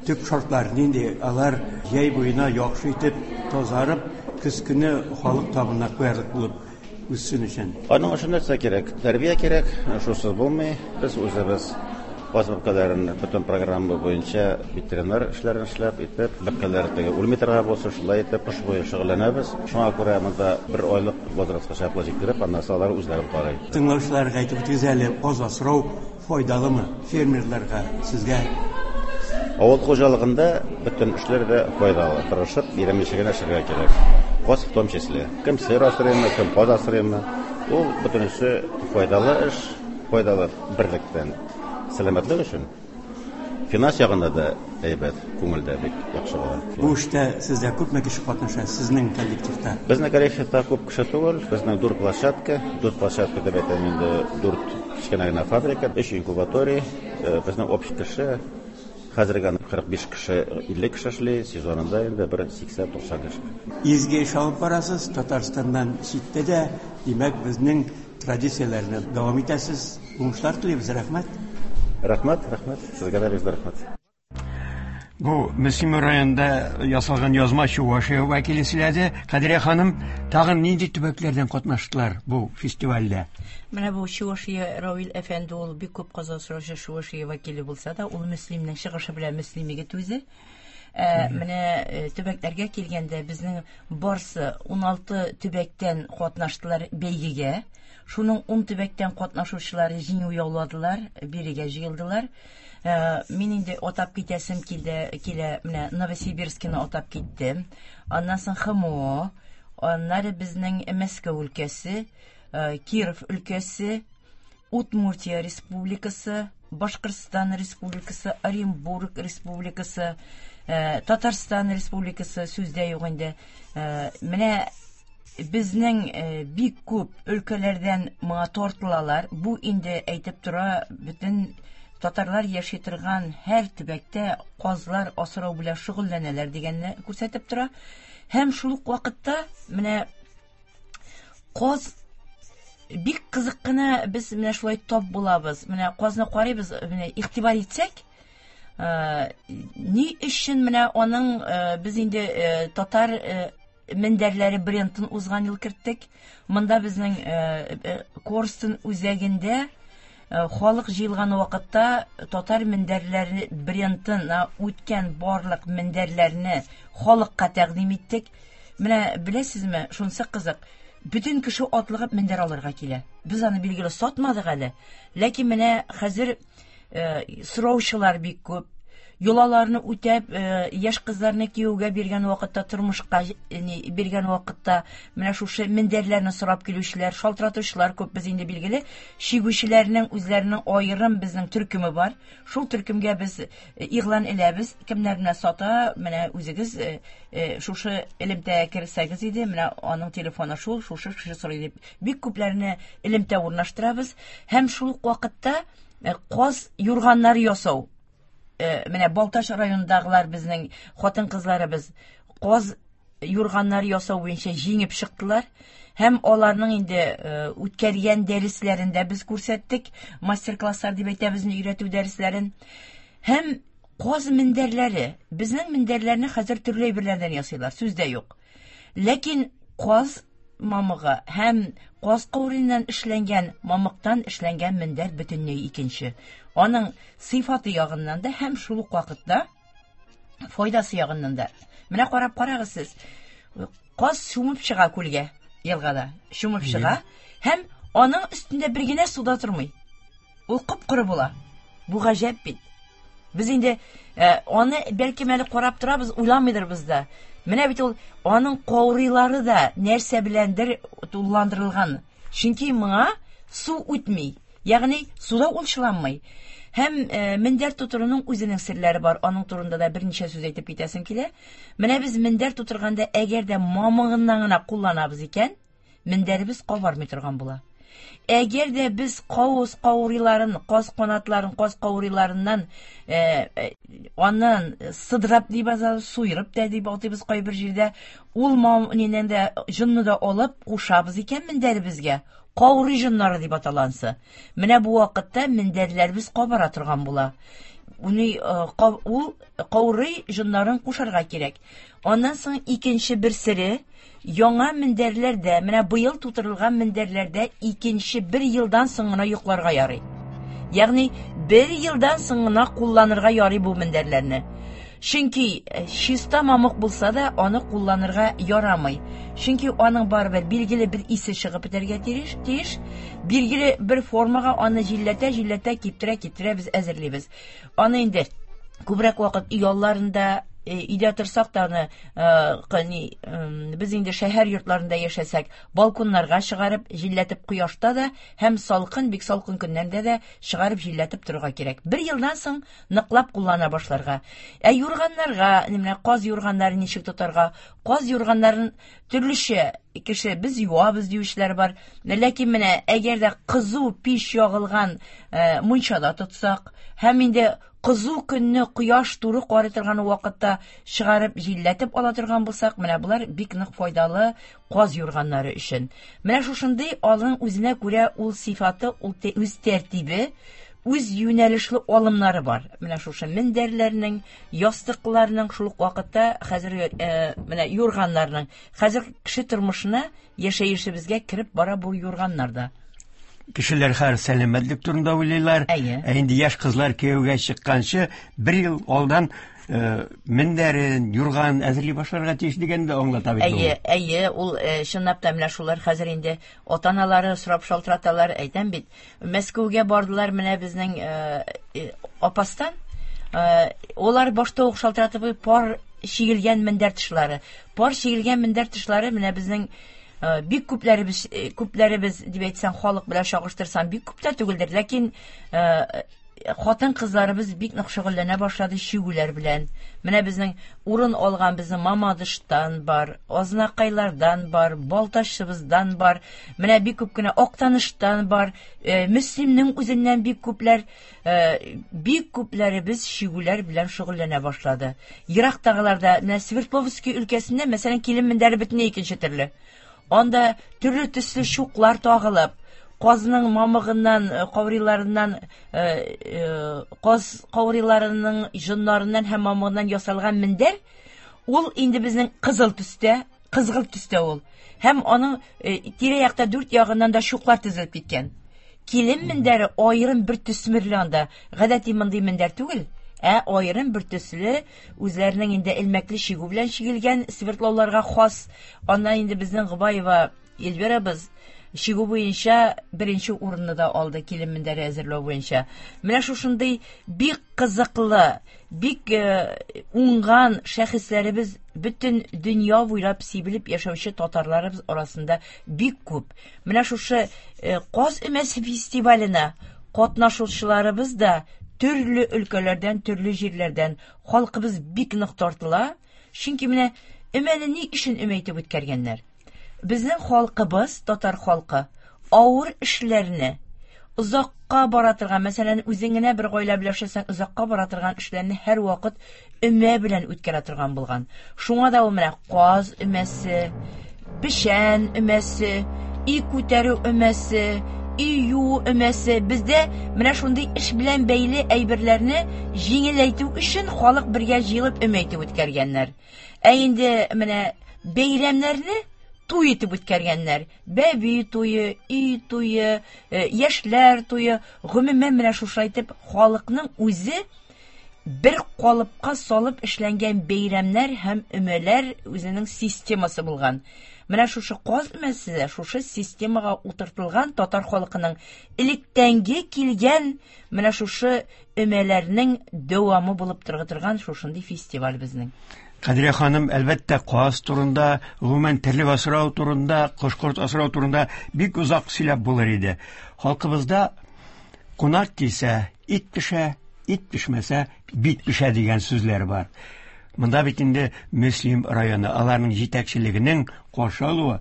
төп шартлар нинди? Алар җәй буена яхшы итеп тазарып, көз көне халык табынына куярлык булып үссен өчен. Аның өчен нәрсә кирәк? Тәрбия кирәк, шусыз булмый. Без үзебез каз бәбкәләрен бөтен программа буенча ветеринар эшләрен эшләп, итеп, бәбкәләр теге үлми торган булса, шулай итеп кыш буе шөгыльләнәбез. Шуңа күрә монда бер айлык возрастка чаклы җиткереп, аннан соң алар үзләрен карый. Тыңлаучыларга әйтеп үтегез әле, каз асрау файдалымы фермерларга, сезгә? Авыл хуҗалыгында бөтен эшләр дә файдалы. Тырышып, иремичә генә эшләргә кирәк. Каз в том числе. Кем сыер асрыймы, кем каз асрыймы, ул бөтенесе файдалы эш, файдалы берлектән. Сәламәтлек өчен финанс ягында да әйбәт, күңелдә бик яхшы була. Бу эштә сездә күпме кеше катнаша, сезнең коллективта? Безнең коллективта күп кеше түгел, безнең дүрт площадка, дүрт площадка дип әйтәм инде, дүрт кечкенә генә фабрика, өч инкубаторий, безнең общий кеше хәзергә кырык биш кеше, илле кеше эшли, сезонында инде бер сиксән туксан кеше. Изге эш алып барасыз, Татарстаннан читтә дә, димәк, безнең традицияләрне дәвам итәсез. Уңышлар телибез, рәхмәт. Рәхмәт, рәхмәт. Сезгә дә бик рәхмәт. Бу Мөслим районында ясалган язма Чувашия вәкиле сөйләде. Кадрия ханым, тагын нинди төбәкләрдән катнаштылар бу фестивальдә? Менә бу Чувашия Равил әфәнде ул бик күп каз асраучы Чувашия вәкиле булса да, ул Мөслимнең чыгышы белән Мөслим егет үзе. Менә төбәкләргә килгәндә безнең барсы ун алты төбәктән катнаштылар бәйгегә. Шуның ун төбәктән катнашучылары җиңү яуладылар, бирегә җыелдылар. Мин инде атап китәсем килде, килә, менә Новосибирскины атап киттем. Аннан соң ХМО, аннары безнең Мәскәү өлкәсе, Киров өлкәсе, Удмуртия Республикасы, Башкортстан Республикасы, Оренбург Республикасы, Татарстан Республикасы сүздә юк инде. Менә безнең бик күп өлкәләрдән моңа тартылалар. Бу инде әйтеп тора, бөтен татарлар яши торган һәр төбәктә казлар асрау белән шөгыльләнәләр дигәнне күрсәтеп тора. Һәм шул ук вакытта менә каз бик кызык кына без менә шулай тап булабыз. Менә казны карыйбыз, менә игътибар итсәк, ни өчен менә аның без инде татар мендәрләре брендын узган ел керттек. Монда безнең Корстон үзәгендә халык җыелган вакытта татар мендәрләре брендына үткән барлык мендәрләрне халыкка тәкъдим иттек. Менә беләсезме, шунысы кызык. Бөтен кеше атлыгып мендәр алырга килә. Без аны билгеле сатмадык әле. Ләкин менә хәзер сораучылар бик күп. Йолаларны үтәп, яшь кызларны кияүгә биргән вакытта, тормышка биргән вакытта менә шушы мендәрләрне сорап килүчеләр, шалтыратучылар күп. Без инде билгеле чигүчеләрнең үзләренең аерым безнең төркеме бар. Шул төркемгә без игълан эләбез, кемнәр менә сата, менә үзегез шушы элемтәгә керсәгез иде, менә аның телефоны шул, шушы кеше сорый дип бик күпләрне элемтә урнаштырабыз. Һәм шул ук вакытта каз юрганнары ясау. Менә Балтач районындагылар безнең хатын-кызларыбыз каз юрганнары ясау буенча җиңеп чыктылар. Һәм аларның инде үткәргән дәресләрен дә без күрсәттек, мастер-класслар дип әйтәбез, өйрәтү дәресләрен. Һәм каз мендәрләре, безнең мендәрләрне хәзер төрле әйберләрдән ясыйлар, сүз дә юк. Ләкин каз мамыгы һәм каз каурыннан эшләнгән, мамыктан эшләнгән мендәр бөтенләй икенче. Аның сыйфаты ягыннан да һәм шул ук вакытта Файдасы ягыннан да. Менә карап карагыз сез. Каз чумып чыга күлгә, елгада. Чумып чыга һәм аның өстендә бер генә су да тормый. Ул кып-коры була. Бу гаҗәп бит. Без инде э, аны бәлкем әле карап торабыз, уйламыйдырбыз да. Менә бит ул аның каурыйлары да нәрсә беләндер тулыландырылган. Чөнки моңа су үтми. Ягъни суда ул чыланмый. Һәм э, мендәр тутыруның үзенең серләре бар. Аның турында да берничә сүз әйтеп китәсем килә. Менә без мендәр тутырганда әгәр дә мамыгыннан гына кулланабыз икән, мендәребез кабармый торган була. Әгәр дә без кавыз каурыйларын, каз канатларын, каз каурыйларыннан э, э, аннан сыдырап дип азабыз, суйрып та дип атыйбыз кайбер җирдә, ул мам нинән дә җонны да алып кушабыз икән мендәребезгә. Каурый җоннары дип аталансы. Менә бу вакытта мендәрләребез кабара торган була. Уны э, ул каурый җоннарын кушарга кирәк. Аннан соң икенче бер сере, яңа мендәрләрдә, менә быел тутырылган мендәрләрдә икенче бер елдан соң гына йокларга ярый. Ягъни бер елдан соң гына кулланырга ярый бу мендәрләрне. Чөнки чиста мамык булса да аны кулланырга ярамый. Чөнки аның барыбер билгеле бер исе чыгып бетәргә тиеш, тиеш. Билгеле бер формага аны җилләтә, җилләтә, киптерә, киптерә без әзерлибез. Аны инде күбрәк вакыт өй алларында, өйдә торсак та аны, ни, без инде шәһәр йортларында яшәсәк, балконнарга чыгарып, җилләтеп кояшта да һәм салкын, бик салкын көннәрдә дә чыгарып җилләтеп торырга кирәк. Бер елдан соң ныклап куллана башларга. Ә юрганнарга, менә каз юрганнарын ничек тотарга? Каз юрганнарын төрлечә кеше без юабыз диючеләр бар. Ләкин менә әгәр дә кызу пич ягылган мунчада тотсак, һәм инде кызу көнне кояш туры карый торган вакытта чыгарып җилләтеп ала торган булсак, менә булар бик нык файдалы каз юрганнары өчен. Менә шушындый алның үзенә күрә ул сифаты, ул үз тәртибе, үз юнәлешле алымнары бар. Менә шушы мендәрләрнең, ястыкларның, шул ук вакытта хәзер менә юрганнарның, хәзер кеше тормышына, яшәешебезгә кереп бара бу юрганнар да. Кешеләр хәзер сәламәтлек турында уйлыйлар. Ә инде яшь кызлар кияүгә чыкканчы бер ел алдан мендәрен, юрган әзерли башларга тиеш дигәнне дә аңлата бит. Әйе, әйе, ул чынлап та менә шулар хәзер инде ата-аналары сорап шалтыраталар, әйтәм бит. Мәскәүгә бардылар менә безнең апастан. Олар башта ук шалтыратып пар чигелгән мендәр тышлары. Пар чигелгән мендәр тышлары менә безнең бик күпләребез, күпләребез дип әйтсәң, халык белән чагыштырсаң, бик күп тә түгелдер, ләкин хатын-кызларыбыз бик нык шөгыльләнә башлады чигүләр белән. Менә безнең урын алган безнең Мамадыштан бар, Азнакайлардан бар, Балтачыбыздан бар, менә бик күп кенә Актаныштан бар, Мөслимнең үзеннән бик күпләр, бик күпләребез чигүләр белән шөгыльләнә башлады. Ерактагыларда, менә Свердловский өлкәсендә, мәсәлән, килен мендәре бөтенләй икенче төрле. Анда төрле төсле чуклар тагылып, казның мамыгыннан, каурыйларыннан, каз каурыйларының җоннарыннан һәм мамыгыннан ясалган мендәр, ул инде безнең кызыл төстә, кызгылт төстә ул. Һәм аның тирә-якта дүрт ягыннан да чуклар тезелеп киткән. Килен мендәре аерым бер төсмерле анда. Гадәти мондый мендәр түгел, ә аерым бер төсле, үзләренең инде элмәкле чигү белән чигелгән Свердловларга хас. Аннан инде безнең Гобаева Эльвирабыз чигү буенча беренче урынны да алды килен мендәре әзерләү буенча. Менә шушындый бик кызыклы, бик уңган шәхесләребез бөтен дөнья буйлап сибелеп яшәүче татарларыбыз арасында бик күп. Менә шушы Каз өмәсе фестиваленә катнашучыларыбыз да төрле өлкәләрдән, төрле җирләрдән халкыбыз бик нык тартыла. Чөнки менә өмәне ни өчен өмә итеп үткәргәннәр? Безнең халкыбыз, татар халкы, авыр эшләрне, озакка бара торган, мәсәлән, үзең генә бер гаилә белән яшәсәң, озакка бара торган эшләрне һәр вакыт өмә белән үткәрә торган булган. Шуңа да ул менә каз өмәсе, печән өмәсе, өй күтәрү өмәсе, өй юу өмәсе. Бездә менә шундый эш белән бәйле әйберләрне җиңеләйтү өчен халык бергә җыелып өмә итеп үткәргәннәр. Ә инде менә бәйрәмнәрне туй итеп үткәргәннәр. Бәби туе, өй туе, яшьләр туе, гомумән менә шушылай итеп халыкның үзе бер калыпка салып эшләнгән бәйрәмнәр һәм өмәләр үзенең системасы булган. Менә шушы каз өмәсе дә шушы системага утыртылган татар халкының электәнге килгән менә шушы өмәләрнең дәвамы булып тора торган шушындый фестиваль безнең. Кадрия ханым, әлбәттә, каз турында, гомумән терлек асрау турында, кош-корт асрау турында бик озак сөйләп булыр иде. Халкыбызда кунак килсә, ит пешә, ит пешмәсә, бит пешә дигән сүзләр бар. Монда бит инде Мөслим районы, аларның җитәкчелегенең каршы алуы,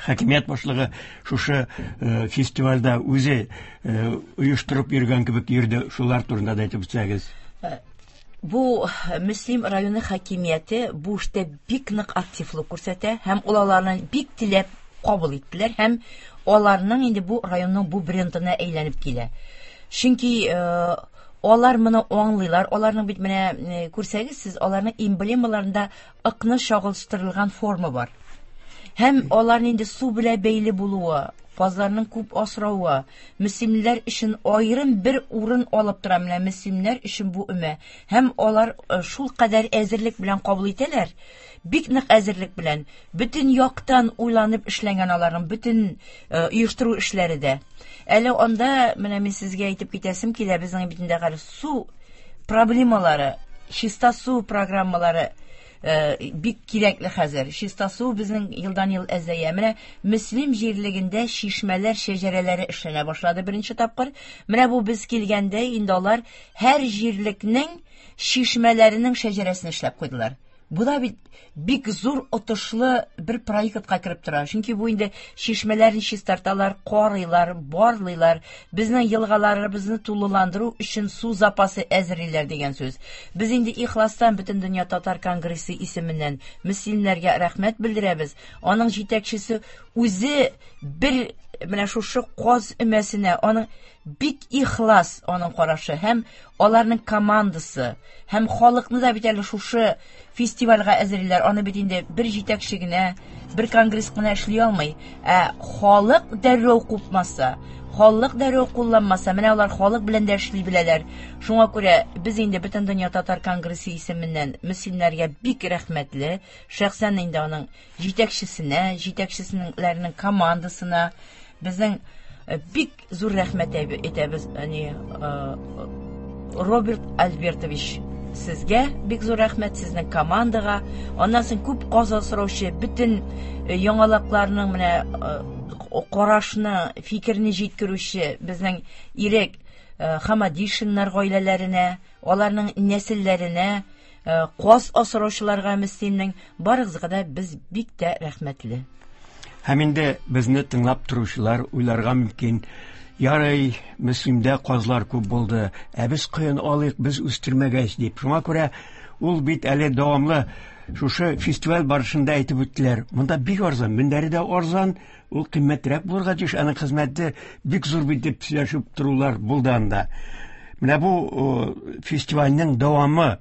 хакимият башлыгы шушы э, фестивальдә үзе э, оештырып йөргән кебек йөрде. Шулар турында да әйтеп үтсәгез. Бу Мөслим районы хакимияте бу эштә бик нык активлык күрсәтә һәм ул аларны бик теләп кабул иттеләр һәм аларның инде бу районның бу брендына әйләнеп килә. Чөнки э, алар моны аңлыйлар. Аларның бит менә э, күрсәгез сез, аларның эмблемаларында ыкны чагылыштырылган форма бар. Һәм аларның инде су белән бәйле булуы, казларның күп асравы, мөслимлеләр өчен аерым бер урын алып тора менә мөслимнәр өчен бу өмә. Һәм алар э, шул кадәр әзерлек белән кабул итәләр, бик нык әзерлек белән, бөтен яктан уйланып эшләнгән аларның бөтен э, оештыру эшләре дә. Әле анда менә мин сезгә әйтеп китәсем килә, безнең бит инде хәзер су проблемалары, чиста су программалары э, бик кирәкле хәзер. Чиста су безнең елдан-ел әзәя. Менә Мөслим җирлегендә чишмәләр шәҗәрәләре эшләнә башлады беренче тапкыр. Менә бу без килгәндә инде алар һәр җирлекнең чишмәләренең шәҗәрәсен эшләп куйдылар. Бу да бит бик зур отышлы бер проектка кереп тора. Чөнки бу инде чишмәләрне чистарталар, карыйлар, барлыйлар. Безнең елгаларыбызны тулыландыру өчен су запасы әзерлиләр дигән сүз. Без инде ихластан Бөтен дөнья татар конгрессы исеменнән мөслимнәргә рәхмәт белдерәбез. Аның җитәкчесе үзе бер менә шушы каз өмәсенә аның бик ихлас аның карашы һәм аларның командасы һәм халыкны да бит әле шушы фестивальгә әзерлиләр. Аны бит инде бер җитәкче генә, бер конгресс кына эшли алмый. Ә халык дәррәү купмаса, халык дәррәү кулланмаса, менә алар халык белән дә эшли беләләр. Шуңа күрә без инде Бөтен дөнья татар конгрессы исеменнән мөслимнәргә бик рәхмәтле. Шәхсән инде аның җитәкчесенә, җитәкчесенең командасына безнең бик зур рәхмәт әйтәбез. Әни, Роберт Альбертович, сезгә бик зур рәхмәт, сезнең командага. Аннан соң күп каз асраучы бөтен яңалыкларның менә карашны, фикерне җиткерүче безнең Ирек Хамадишиннар гаиләләренә, аларның нәселләренә, каз асраучыларга Мөслимнең барыгызга да без бик тә рәхмәтле. Һәм инде безне тыңлап торучылар уйларга мөмкин. Ярый, Мөслимдә казлар күп булды, ә без каян алыйк, без үстермәгәч дип. Шуңа күрә ул бит әле дәвамлы шушы фестиваль барышында әйтеп үттеләр. Монда бик арзан, мендәре дә арзан, ул кыйммәтрәк булырга тиеш, аның хезмәте бик зур бит дип сөйләшеп торулар булды анда. Менә бу фестивальнең дәвамы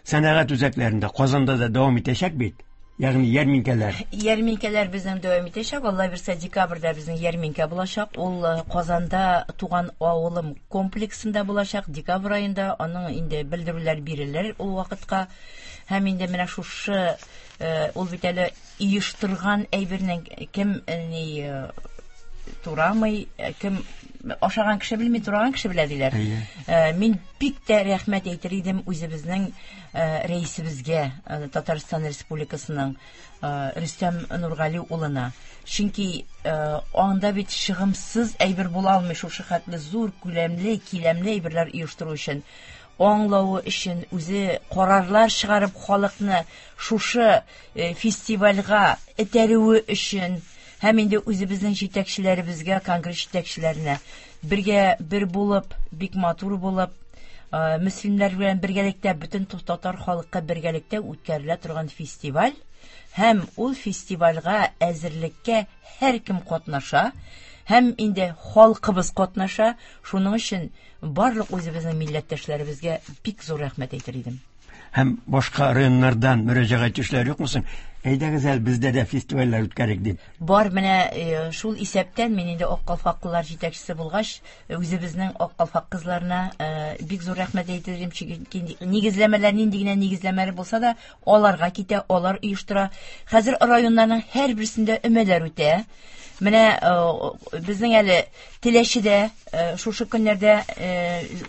сәнәгать үзәкләрендә, Казанда да дәвам итәчәк бит. Ягъни ярминкәләр. Ярминкәләр безнең дәвам итәчәк. Алла бирсә, декабрьдә безнең ярминкә булачак. Ул Казанда туган авылым комплексында булачак. Декабрь аенда аның инде белдерүләр бирелер ул вакытка. Һәм инде менә шушы ул бит әле оештырган әйбернең кем ни турамый, кем ашаган кеше белми, тураган кеше белә диләр. Мин бик тә рәхмәт әйтер идем үзебезнең рәисебезгә, Татарстан Республикасының Рөстәм Нургали улына. Чөнки анда бит чыгымсыз әйбер була алмый шушы хәтле зур күләмле, киләмле әйберләр оештыру өчен. Аңлавы өчен үзе карарлар чыгарып халыкны шушы фестивальгә этәрүе өчен һәм инде үзебезнең җитәкчеләребезгә, конгресс җитәкчеләренә бергә бер булып, бик матур булып, мөслимнәр белән бергәлектә, бөтен татар халкы бергәлектә үткәрелә торган фестиваль. Һәм ул фестивальгә әзерлеккә һәркем катнаша, һәм инде халкыбыз катнаша. Шуның өчен барлык үзебезнең милләттәшләребезгә бик зур рәхмәт әйтер идем. һәм башка районнардан мөрәҗәгать итүчеләр юкмы соң? Әйдәгез әле бездә дә фестивальләр үткәрик дип. Бар, менә шул исәптән мин инде Ак калфаклылар җитәкчесе булгач, үзебезнең Ак калфак кызларына бик зур рәхмәт әйтер идем, чөнки нигезләмәләр нинди генә нигезләмәләр булса да, аларга китә, алар оештыра. Хәзер районнарның һәрберсендә өмәләр үтә. Менә безнең әле Теләчедә шушы көннәрдә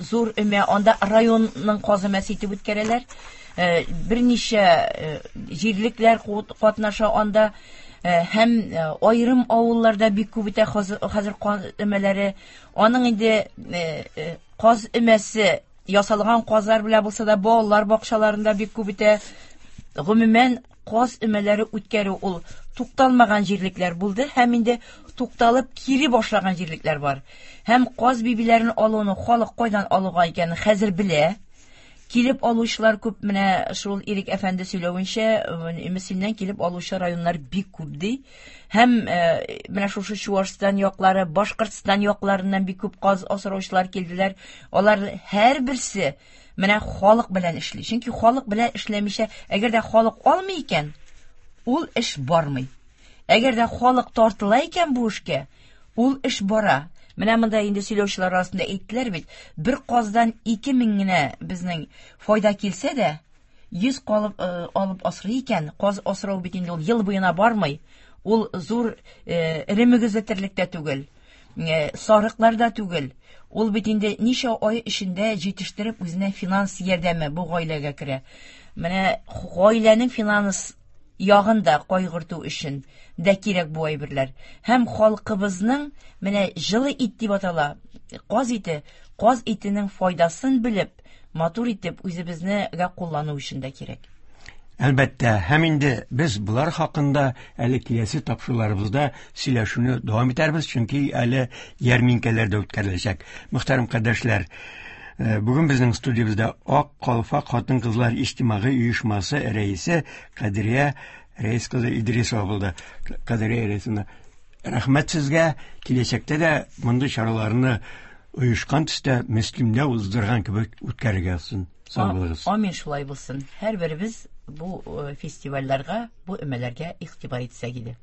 зур өмә, анда районның каз өмәсе итеп үткәрәләр. Берничә җирлекләр катнаша анда, һәм аерым авылларда бик күп үтә хәзер каз өмәләре. Аның инде каз өмәсе ясалган казлар белән булса да, балалар бакчаларында бик күп үтә. Гомумән, каз өмәләре үткәрү ул тукталмаган җирлекләр булды һәм инде тукталып кире башлаган җирлекләр бар. Һәм каз бибиләрен алуны халык кайдан алуга икәнен хәзер белә. Килеп алучылар күп, менә шул Ирек әфәнде сөйләвенчә, Мөслимнән килеп алучы районнар бик күп ди. Һәм менә шушы Чуашстан яклары, Башкортстан якларыннан бик күп каз асраучылар килделәр. Алар һәрберсе менә халык белән эшли. Чөнки халык белән эшләмичә, әгәр дә халык алмый икән, ул эш бармый. Әгәр дә халык тартыла икән бу эшкә, ул эш бара. Менә монда инде сөйләүчеләр арасында әйттеләр бит, бер каздан ике мең генә безнең файда килсә дә, йөз калып алып асрый икән, каз асрау бит инде ул ел буена бармый. Ул зур эре мөгезле терлек тә түгел, сарыклар да түгел. Ул бит инде ничә ай эчендә җитештереп үзенә финанс ярдәме бу гаиләгә керә. Менә гаиләнең финанс ягын да кайгырту өчен дә кирәк бу әйберләр. Һәм халкыбызның менә җылы ит дип атала, каз ите, каз итенең файдасын белеп, матур итеп үзебезнегә куллану өчен дә кирәк. Әлбәттә, һәм инде без булар хакында әле киләсе тапшыруларыбызда сөйләшүне дәвам итәрбез, чөнки әле ярминкәләр дә үткәреләчәк. Мөхтәрәм кардәшләр, бүген безнең студиябездә Ак калфак хатын-кызлар иҗтимагый оешмасы рәисе Кадрия Рәис кызы Идрисова булды. Кадрия Рәисовна, рәхмәт сезгә. Киләчәктә дә мондый чараларны оешкан төстә Мөслимдә уздырган кебек үткәрергә язсын. Сау булыгыз. Амин, шулай булсын. Һәрберебез бу фестивальләргә, бу өмәләргә игътибар итсәк иде.